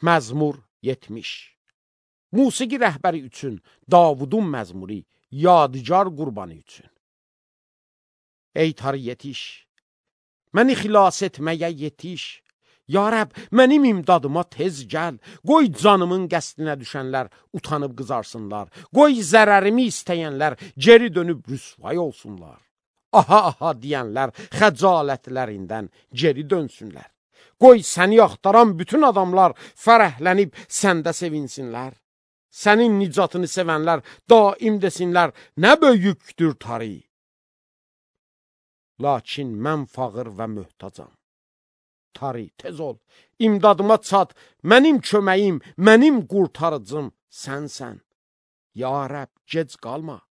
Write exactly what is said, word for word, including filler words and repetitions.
Məzmur yetmiş. Musiqi rəhbəri üçün Davudun məzmuri, yadigar qurbanı üçün. Ey tarı yetiş, məni xilas etməyə yetiş. Ya Rəbb, mənim imdadıma tez gəl. Qoy canımın qəsdinə düşənlər utanıb qızarsınlar. Qoy zərərimi istəyənlər geri dönüb rüsvay olsunlar. Aha, aha deyənlər xəcalətlərindən geri dönsünlər. Qoy səni axtaran bütün adamlar fərəhlənib səndə sevinsinlər. Sənin nicatını sevənlər daim desinlər, nə böyükdür tarı. Lakin mən fağır və möhtacam. Tarı, tez ol, imdadıma çat, mənim köməyim, mənim qurtarıcım sənsən. Ya Rəbb, gec qalma.